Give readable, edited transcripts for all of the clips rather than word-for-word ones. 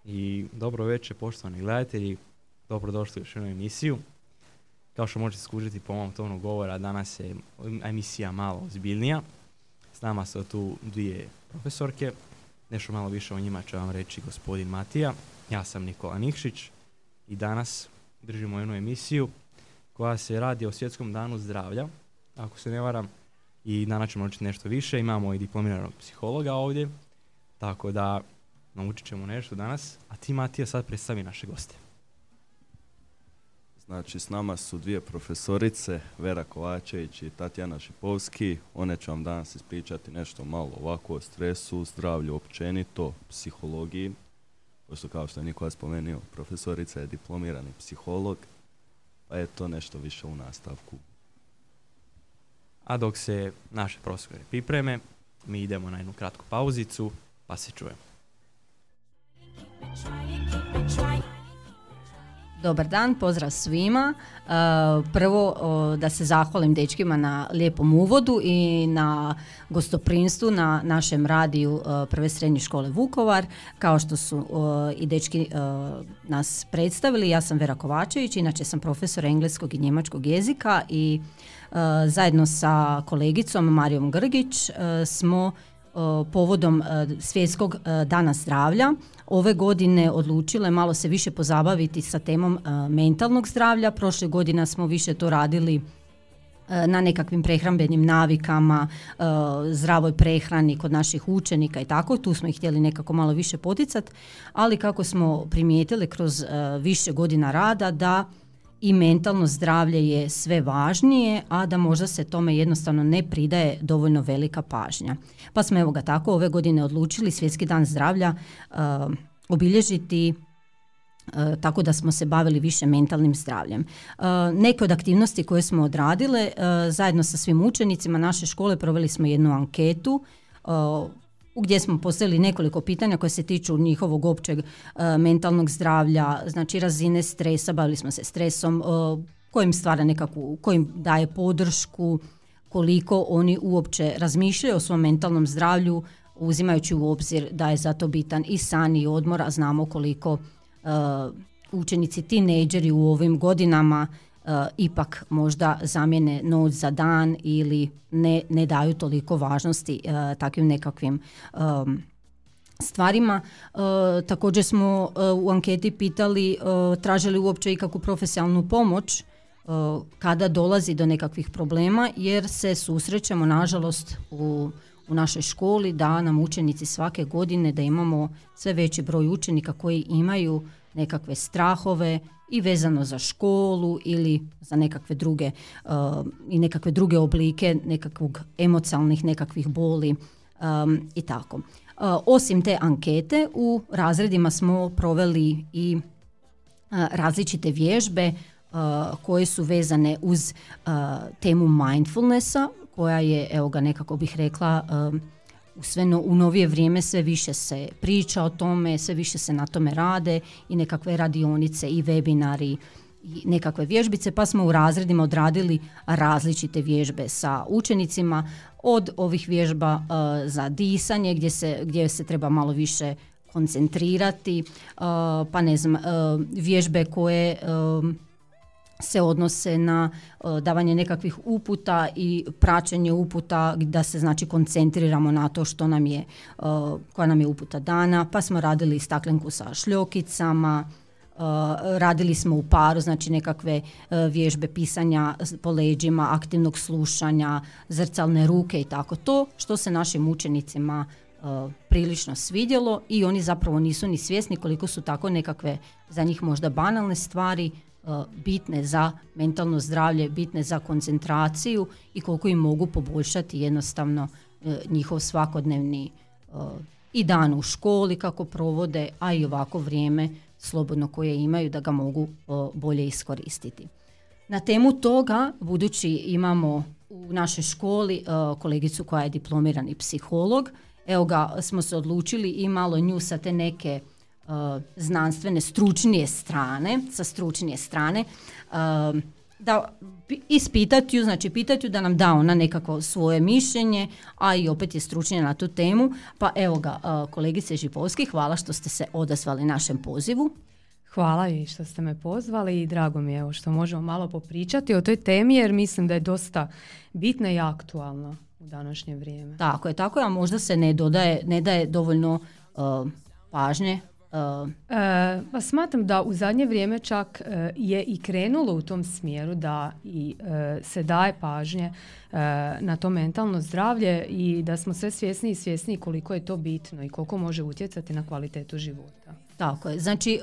I dobro večer, poštovani gledatelji, dobrodošli u još jednu emisiju. Kao što možete skužiti po mom tonu govora, danas je emisija malo ozbiljnija. S nama su tu dvije profesorke, nešto malo više o njima će vam reći gospodin Matija. Ja sam Nikola Nikšić i danas držimo jednu emisiju koja se radi o Svjetskom danu zdravlja, ako se ne varam, i danas ćemo naučiti nešto više. Imamo i diplomiranog psihologa ovdje, tako da naučit ćemo nešto danas. A ti, Matija, sad predstavi naše goste. Znači, s nama su dvije profesorice, Vera Kovačević i Tatjana Šipovski. One će vam danas ispričati nešto malo ovako o stresu, zdravlju općenito, psihologiji. Pošto, kao što je Nikola spomenuo, profesorica je diplomirani psiholog, pa je to nešto više u nastavku. A dok se naše profesore pripreme, mi idemo na jednu kratku pauzicu, pa se čujemo. Dobar dan, pozdrav svima. Prvo da se zahvalim dečkima na lijepom uvodu i na gostoprimstvu na našem radiju Prve srednje škole Vukovar. Kao što su i dečki nas predstavili, ja sam Vera Kovačević, inače sam profesor engleskog i njemačkog jezika i zajedno sa kolegicom Marijom Grgić smo povodom Svjetskog dana zdravlja ove godine odlučile malo se više pozabaviti sa temom mentalnog zdravlja. Prošle godine smo više to radili na nekakvim prehrambenim navikama, zdravoj prehrani kod naših učenika i tako. Tu smo ih htjeli nekako malo više poticati, ali kako smo primijetili kroz više godina rada da i mentalno zdravlje je sve važnije, a da možda se tome jednostavno ne pridaje dovoljno velika pažnja. Pa smo evo ga tako ove godine odlučili Svjetski dan zdravlja obilježiti tako da smo se bavili više mentalnim zdravljem. Neke od aktivnosti koje smo odradile zajedno sa svim učenicima naše škole proveli smo jednu anketu gdje smo postavili nekoliko pitanja koje se tiču njihovog općeg mentalnog zdravlja, znači razine stresa, bavili smo se stresom, kojim stvara nekakvu, kojim daje podršku, koliko oni uopće razmišljaju o svom mentalnom zdravlju, uzimajući u obzir da je zato bitan i san i odmor, a znamo koliko učenici, tinejdžeri u ovim godinama ipak možda zamijene noć za dan ili ne daju toliko važnosti takvim nekakvim stvarima. Također smo u anketi pitali tražili uopće ikakvu profesionalnu pomoć kada dolazi do nekakvih problema, jer se susrećemo nažalost u našoj školi da nam učenici svake godine, da imamo sve veći broj učenika koji imaju nekakve strahove i vezano za školu ili za nekakve druge i nekakve druge oblike nekakvog emocionalnih nekakvih boli i tako. Osim te ankete u razredima smo proveli i različite vježbe koje su vezane uz temu mindfulnessa, koja je, evo ga nekako bih rekla, u novije vrijeme sve više se priča o tome, sve više se na tome rade i nekakve radionice i webinari i nekakve vježbice, pa smo u razredima odradili različite vježbe sa učenicima, od ovih vježba za disanje gdje se treba malo više koncentrirati, pa ne znam, vježbe koje se odnose na davanje nekakvih uputa i praćenje uputa, da se znači koncentriramo na to što nam je, koja nam je uputa dana, pa smo radili staklenku sa šljokicama, radili smo u paru, znači nekakve vježbe pisanja po leđima, aktivnog slušanja, zrcalne ruke i tako. To što se našim učenicima prilično svidjelo i oni zapravo nisu ni svjesni koliko su tako nekakve za njih možda banalne stvari bitne za mentalno zdravlje, bitne za koncentraciju i koliko im mogu poboljšati jednostavno njihov svakodnevni i dan u školi kako provode, a i ovako vrijeme slobodno koje imaju da ga mogu bolje iskoristiti. Na temu toga, budući imamo u našoj školi kolegicu koja je diplomirani psiholog, evo ga smo se odlučili i malo nju sa te neke znanstvene, stručnije strane, da ispitati ju, znači pitati ju da nam da ona nekako svoje mišljenje, a i opet je stručnija na tu temu. Pa evo ga, kolegice Žipovski, hvala što ste se odazvali našem pozivu. Hvala i što ste me pozvali i drago mi je evo što možemo malo popričati o toj temi jer mislim da je dosta bitna i aktualna u današnje vrijeme. Tako je, a možda se ne daje dovoljno pažnje. Pa smatram da u zadnje vrijeme čak je i krenulo u tom smjeru da i se daje pažnje na to mentalno zdravlje i da smo sve svjesniji koliko je to bitno i koliko može utjecati na kvalitetu života. Tako je, znači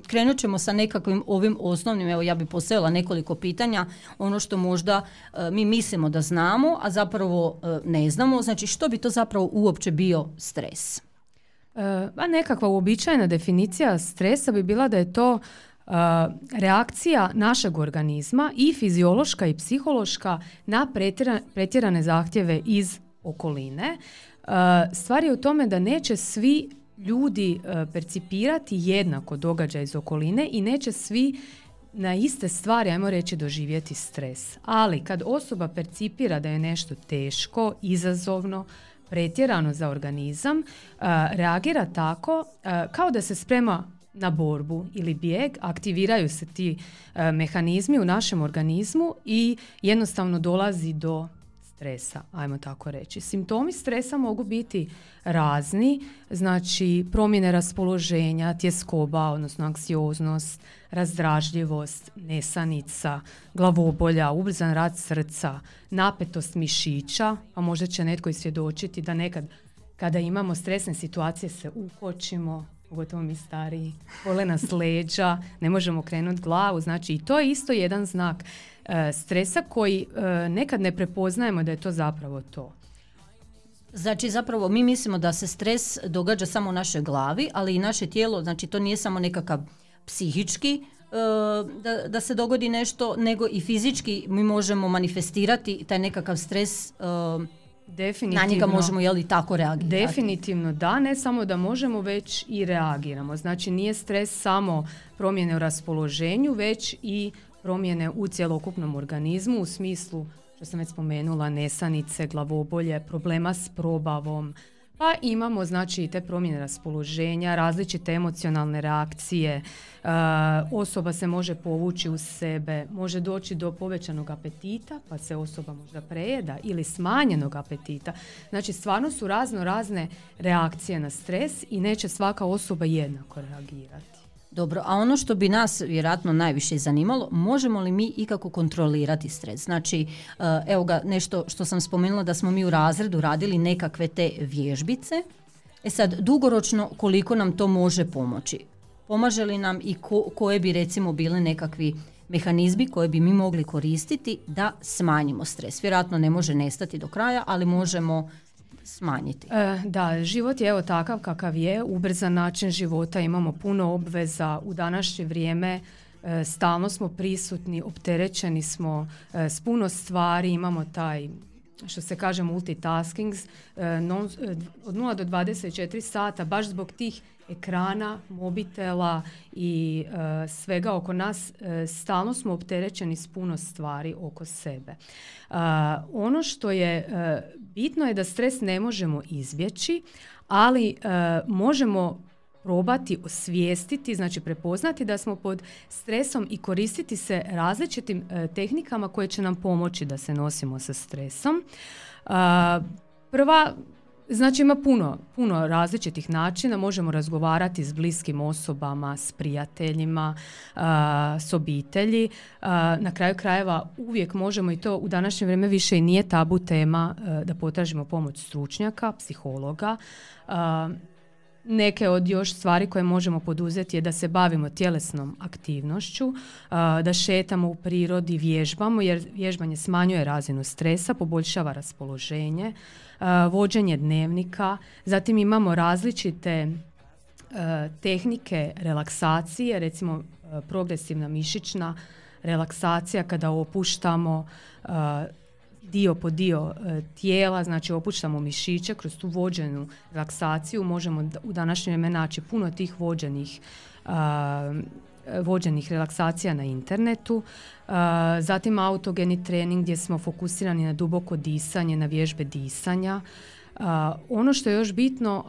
krenut ćemo sa nekakvim ovim osnovnim, evo ja bih postavila nekoliko pitanja, ono što možda mi mislimo da znamo, a zapravo ne znamo, znači što bi to zapravo uopće bio stres? A nekakva uobičajena definicija stresa bi bila da je to reakcija našeg organizma i fiziološka i psihološka na pretjerane zahtjeve iz okoline. Stvar je u tome da neće svi ljudi percipirati jednako događaj iz okoline i neće svi na iste stvari, ajmo reći, doživjeti stres. Ali kad osoba percipira da je nešto teško, izazovno, pretjerano za organizam, reagira tako kao da se sprema na borbu ili bijeg, aktiviraju se ti mehanizmi u našem organizmu i jednostavno dolazi do stresa, ajmo tako reći. Simptomi stresa mogu biti razni, znači promjene raspoloženja, tjeskoba, odnosno anksioznost, razdražljivost, nesanica, glavobolja, ubrzan rad srca, napetost mišića, a možda će netko i svjedočiti da nekad kada imamo stresne situacije se ukočimo, pogotovo mi stariji, bole nas leđa, ne možemo krenuti glavu, znači i to je isto jedan znak stresa koji nekad ne prepoznajemo da je to zapravo to. Znači zapravo mi mislimo da se stres događa samo u našoj glavi, ali i naše tijelo, znači to nije samo nekakav psihički da se dogodi nešto, nego i fizički mi možemo manifestirati taj nekakav stres, na njega možemo tako reagirati. Definitivno da, ne samo da možemo, već i reagiramo. Znači nije stres samo promjene u raspoloženju, već i promjene u cjelokupnom organizmu u smislu, što sam već spomenula, nesanice, glavobolje, problema s probavom, pa imamo znači i te promjene raspoloženja, različite emocionalne reakcije, osoba se može povući u sebe, može doći do povećanog apetita, pa se osoba možda prejeda ili smanjenog apetita. Znači stvarno su razne reakcije na stres i neće svaka osoba jednako reagirati. Dobro, a ono što bi nas vjerojatno najviše zanimalo, možemo li mi ikako kontrolirati stres? Znači, evo ga, nešto što sam spomenula da smo mi u razredu radili nekakve te vježbice. Sad, dugoročno koliko nam to može pomoći? Pomaže li nam i koje bi recimo bile nekakvi mehanizmi koje bi mi mogli koristiti da smanjimo stres? Vjerojatno ne može nestati do kraja, ali možemo smanjiti. Da, život je evo takav kakav je, ubrzan način života, imamo puno obveza u današnje vrijeme, stalno smo prisutni, opterećeni smo s puno stvari, imamo taj, što se kaže, multitasking, od 0 do 24 sata, baš zbog tih ekrana, mobitela i svega oko nas, stalno smo opterećeni s puno stvari oko sebe. Ono što je bitno je da stres ne možemo izbjeći, ali možemo probati osvijestiti, znači prepoznati da smo pod stresom i koristiti se različitim tehnikama koje će nam pomoći da se nosimo sa stresom. Prva, znači ima puno različitih načina, možemo razgovarati s bliskim osobama, s prijateljima, s obitelji. Na kraju krajeva uvijek možemo, i to u današnje vrijeme više i nije tabu tema, da potražimo pomoć stručnjaka, psihologa. Neke od još stvari koje možemo poduzeti je da se bavimo tjelesnom aktivnošću, da šetamo u prirodi, vježbamo, jer vježbanje smanjuje razinu stresa, poboljšava raspoloženje, vođenje dnevnika. Zatim imamo različite tehnike relaksacije, recimo progresivna mišićna relaksacija kada opuštamo dio po dio tijela, znači opuštamo mišiće kroz tu vođenu relaksaciju. Možemo u današnje vrijeme naći puno tih vođenih vođenih relaksacija na internetu, zatim autogeni trening gdje smo fokusirani na duboko disanje, na vježbe disanja. Ono što je još bitno,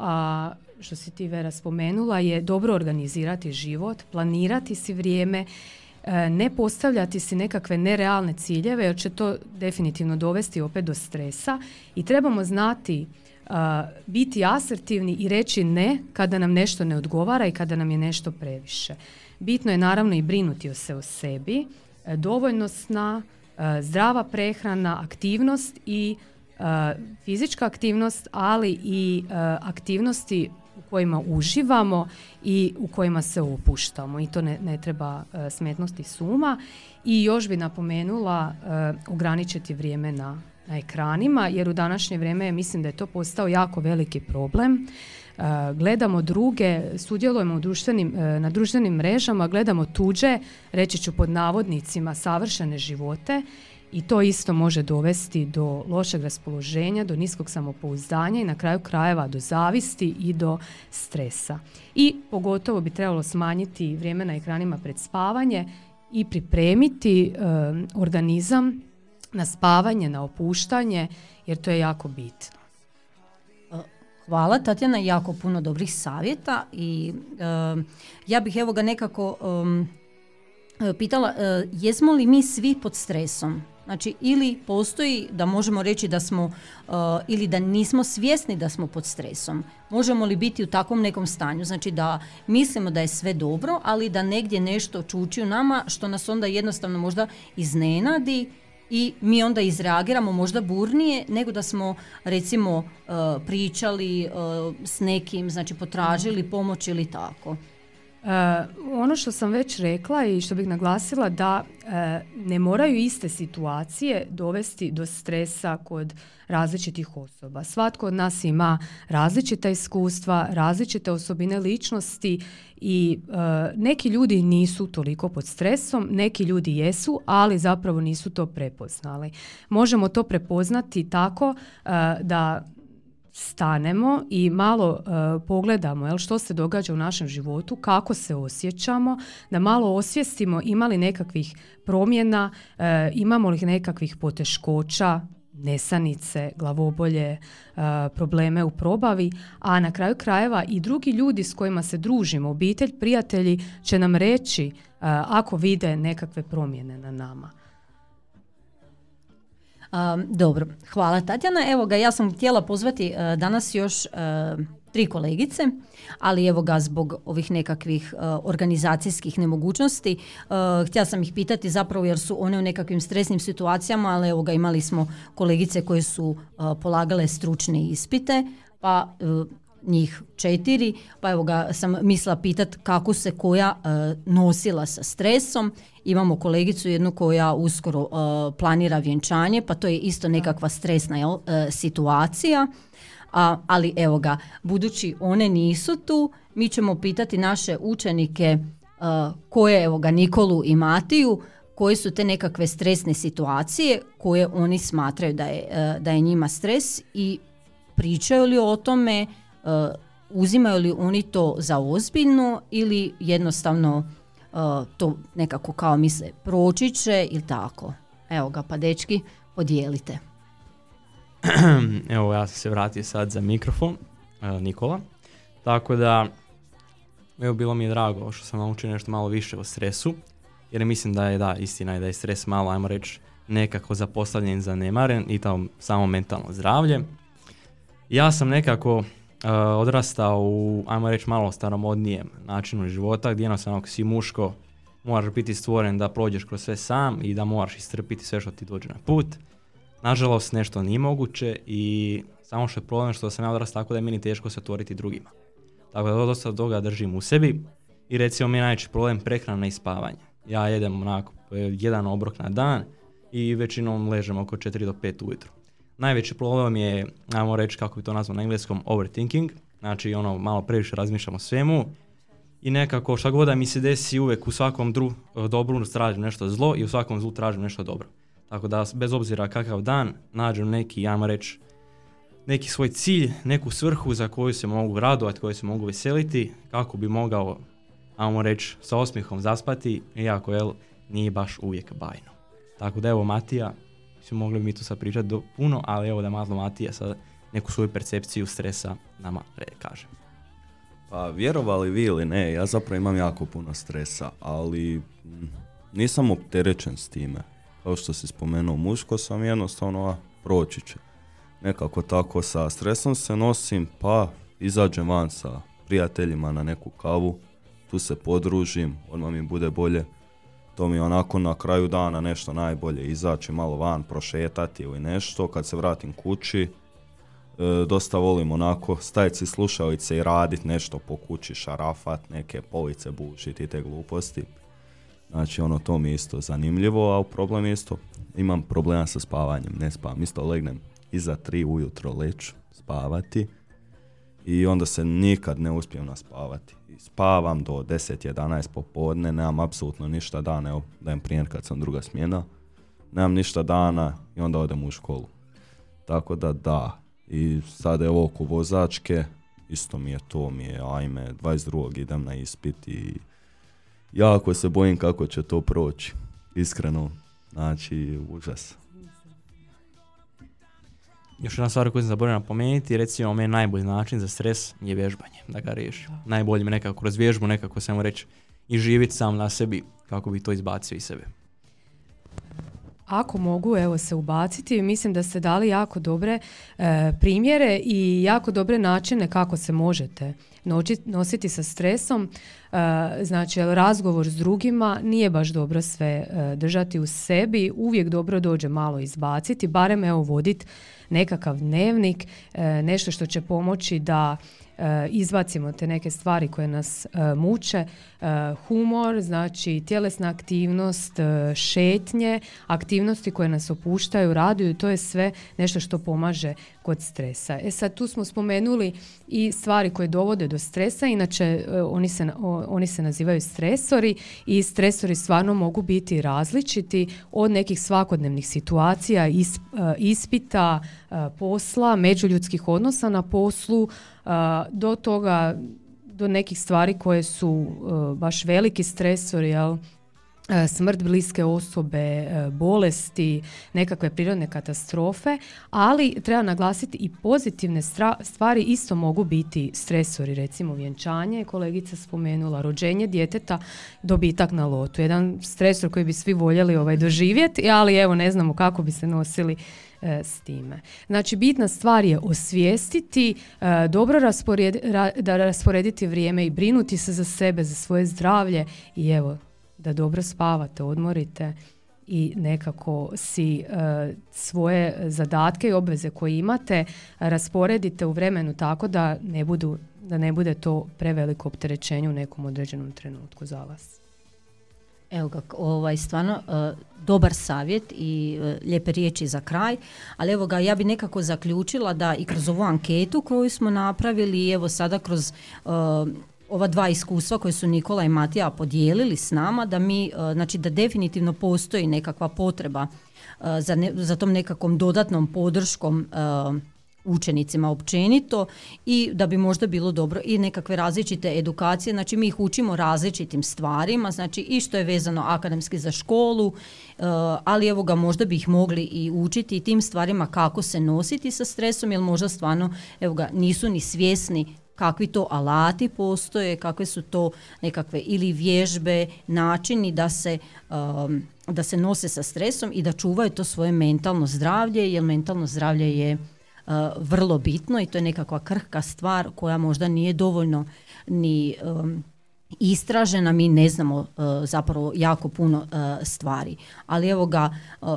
što si ti, Vera, spomenula, je dobro organizirati život, planirati si vrijeme, ne postavljati si nekakve nerealne ciljeve jer će to definitivno dovesti opet do stresa i trebamo znati biti asertivni i reći ne kada nam nešto ne odgovara i kada nam je nešto previše. Bitno je naravno i brinuti se o sebi, dovoljno sna, zdrava prehrana, aktivnost i fizička aktivnost, ali i aktivnosti u kojima uživamo i u kojima se opuštamo i to ne treba smetnuti s uma. I još bi napomenula ograničiti vrijeme na ekranima, jer u današnje vrijeme mislim da je to postao jako veliki problem. Gledamo druge, sudjelujemo na društvenim mrežama, gledamo tuđe, reći ću pod navodnicima, savršene živote i to isto može dovesti do lošeg raspoloženja, do niskog samopouzdanja i na kraju krajeva do zavisti i do stresa. I pogotovo bi trebalo smanjiti vrijeme na ekranima pred spavanje i pripremiti organizam na spavanje, na opuštanje, jer to je jako bitno. Hvala, Tatjana, jako puno dobrih savjeta i ja bih evo ga nekako pitala, jesmo li mi svi pod stresom? Znači, ili postoji da možemo reći da smo ili da nismo svjesni da smo pod stresom. Možemo li biti u takvom nekom stanju? Znači da mislimo da je sve dobro, ali da negdje nešto čuči u nama što nas onda jednostavno možda iznenadi i mi onda izreagiramo možda burnije nego da smo recimo pričali s nekim, znači potražili pomoć ili tako. Ono što sam već rekla i što bih naglasila da ne moraju iste situacije dovesti do stresa kod različitih osoba. Svatko od nas ima različita iskustva, različite osobine ličnosti i neki ljudi nisu toliko pod stresom, neki ljudi jesu, ali zapravo nisu to prepoznali. Možemo to prepoznati tako da stanemo i malo pogledamo što se događa u našem životu, kako se osjećamo, da malo osvijestimo ima li nekakvih promjena, imamo li nekakvih poteškoća, nesanice, glavobolje, probleme u probavi, a na kraju krajeva i drugi ljudi s kojima se družimo, obitelj, prijatelji će nam reći ako vide nekakve promjene na nama. Dobro, hvala Tatjana. Evo ga, ja sam htjela pozvati danas još 3 kolegice, ali evo ga zbog ovih nekakvih organizacijskih nemogućnosti htjela sam ih pitati zapravo jer su one u nekakvim stresnim situacijama, ali evo ga imali smo kolegice koje su polagale stručne ispite, pa njih 4, pa evo ga sam mislila pitati kako se koja nosila sa stresom. Imamo kolegicu jednu koja uskoro planira vjenčanje, pa to je isto nekakva stresna situacija. Ali evo ga, budući one nisu tu, mi ćemo pitati naše učenike koje, evo ga, Nikolu i Matiju, koje su te nekakve stresne situacije koje oni smatraju da je njima stres i pričaju li o tome, uzimaju li oni to za ozbiljno ili jednostavno to nekako kao misle proći će ili tako. Evo ga, pa dečki, podijelite. Evo, ja sam se vratio sad za mikrofon, Nikola. Tako da, evo, bilo mi je drago što sam naučio nešto malo više o stresu, jer mislim da je, istina je da je stres malo, ajmo reći, nekako zapostavljen, zanemaren i to samo mentalno zdravlje. Ja sam nekako odrastao u, ajmo reći, malo staromodnijem načinu života, gdje jednostavno ako si muško, moraš biti stvoren da prođeš kroz sve sam i da moraš istrpiti sve što ti dođe na put. Nažalost, nešto nije moguće i samo što je problem što sam ja odrastao tako da je meni teško se otvoriti drugima. Tako da dosta toga držim u sebi i recimo mi je najveći problem prehrana i spavanje. Ja jedem onako jedan obrok na dan i većinom ležem oko 4 do 5 ujutro. Najveći problem je, ajmo reći kako bi to nazvao na engleskom, overthinking, znači malo previše razmišljamo o svemu i nekako šta god da mi se desi uvijek u svakom dobru tražim nešto zlo i u svakom zlu tražim nešto dobro. Tako da bez obzira kakav dan nađem neki, ajmo reći, neki svoj cilj, neku svrhu za koju se mogu radovati, koju se mogu veseliti, kako bi mogao, ajmo reći, sa osmihom zaspati, iako nije baš uvijek bajno. Tako da evo Matija, mogli bi mi tu sad pričati puno, ali evo da malo Matija sad neku svoju percepciju stresa nama kaže. Pa vjerovali vi ili ne, ja zapravo imam jako puno stresa, ali nisam opterećen s time. Kao što si spomenuo, muško sam, jednostavno proći će. Nekako tako sa stresom se nosim, pa izađem van sa prijateljima na neku kavu, tu se podružim, odmah mi bude bolje. To mi je onako na kraju dana nešto najbolje, izaći malo van, prošetati ili nešto. Kad se vratim kući, dosta volim onako staviti si slušalice i raditi nešto po kući, šarafat, neke police bušiti i te gluposti. Znači to mi je isto zanimljivo, a problem je isto, imam problema sa spavanjem, ne spavam, isto legnem iza 3 ujutro leću spavati i onda se nikad ne uspijem naspavati. Spavam do 10-11 popodne, nemam apsolutno ništa dana, evo dajem primjer kad sam druga smjena, nemam ništa dana i onda odem u školu. Tako da, i sad evo oko vozačke, isto mi je 22. idem na ispit i jako se bojim kako će to proći, iskreno, znači užas. Još jedna stvar koju sam zaboravio napomenuti, recimo meni najbolji način za stres je vježbanje, da ga riješim. Najbolje me nekako kroz vježbu, nekako samo reći i živjeti sam na sebi kako bi to izbacio iz sebe. Ako mogu se ubaciti, mislim da ste dali jako dobre primjere i jako dobre načine kako se možete nositi sa stresom. Znači, razgovor s drugima nije baš dobro sve držati u sebi, uvijek dobro dođe malo izbaciti, barem voditi nekakav dnevnik, nešto što će pomoći da izbacimo te neke stvari koje nas muče, humor, znači tjelesna aktivnost, šetnje, aktivnosti koje nas opuštaju, raduju, to je sve nešto što pomaže kod stresa. Sad tu smo spomenuli i stvari koje dovode do stresa, inače oni se nazivaju stresori i stresori stvarno mogu biti različiti od nekih svakodnevnih situacija, ispita, posla, međuljudskih odnosa na poslu, do toga, do nekih stvari koje su baš veliki stresori, jel? Smrt bliske osobe, bolesti, nekakve prirodne katastrofe, ali treba naglasiti i pozitivne stvari isto mogu biti stresori, recimo vjenčanje, kolegica spomenula, rođenje djeteta, dobitak na lotu. Jedan stresor koji bi svi voljeli doživjeti, ali evo ne znamo kako bi se nosili s time. Znači, bitna stvar je osvijestiti, dobro rasporediti vrijeme i brinuti se za sebe, za svoje zdravlje i evo, da dobro spavate, odmorite i nekako si svoje zadatke i obveze koje imate rasporedite u vremenu tako da ne bude to preveliko opterećenje u nekom određenom trenutku za vas. Evo ga, stvarno dobar savjet i lijepe riječi za kraj, ali evo ga, ja bi nekako zaključila da i kroz ovu anketu koju smo napravili i evo sada kroz ova dva iskustva koje su Nikola i Matija podijelili s nama, da mi, znači da definitivno postoji nekakva potreba za tom nekakvom dodatnom podrškom učenicima općenito i da bi možda bilo dobro i nekakve različite edukacije, znači mi ih učimo različitim stvarima, znači i što je vezano akademski za školu, ali evo ga, možda bi ih mogli i učiti i tim stvarima kako se nositi sa stresom, jer možda stvarno evo ga, nisu ni svjesni kakvi to alati postoje, kakve su to nekakve ili vježbe, načini da se nose sa stresom i da čuvaju to svoje mentalno zdravlje, jer mentalno zdravlje je vrlo bitno i to je nekakva krhka stvar koja možda nije dovoljno ni istražena, mi ne znamo zapravo jako puno stvari. Ali evo ga,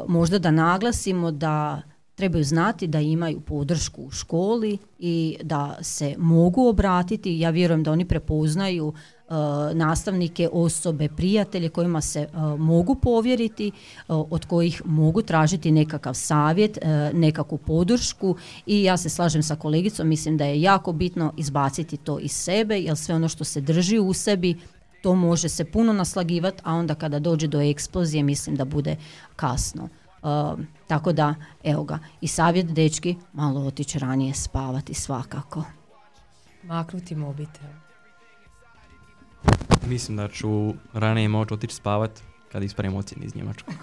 možda da naglasimo da trebaju znati da imaju podršku u školi i da se mogu obratiti. Ja vjerujem da oni prepoznaju nastavnike, osobe, prijatelje kojima se mogu povjeriti, od kojih mogu tražiti nekakav savjet, nekakvu podršku i ja se slažem sa kolegicom, mislim da je jako bitno izbaciti to iz sebe, jer sve ono što se drži u sebi, to može se puno naslagivati, a onda kada dođe do eksplozije mislim da bude kasno. Tako da, evo ga, i savjet dečki, malo otići ranije spavati svakako. Maknuti mobitel. Mislim da ću ranije moći otići spavat kad ispravim ocjeni iz njemačkog.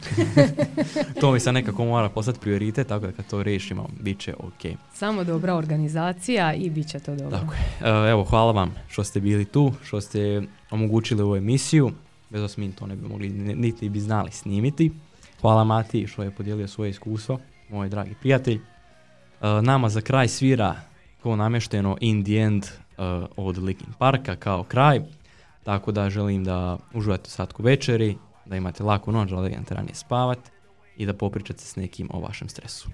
To mi sad nekako mora postati prioritet, tako da kad to riješimo, bit će ok. Samo dobra organizacija i bit će to dobro. Tako je. Evo, hvala vam što ste bili tu, što ste omogućili ovu emisiju. Bez vas mi to ne bi mogli, niti bi znali snimiti. Hvala Mati što je podijelio svoje iskustvo, moj dragi prijatelj. Nama za kraj svira ko namješteno In the End od Linkin Parka kao kraj. Tako da želim da uživate u slatku večeri, da imate laku noć, da legnete ranije spavat i da popričate s nekim o vašem stresu.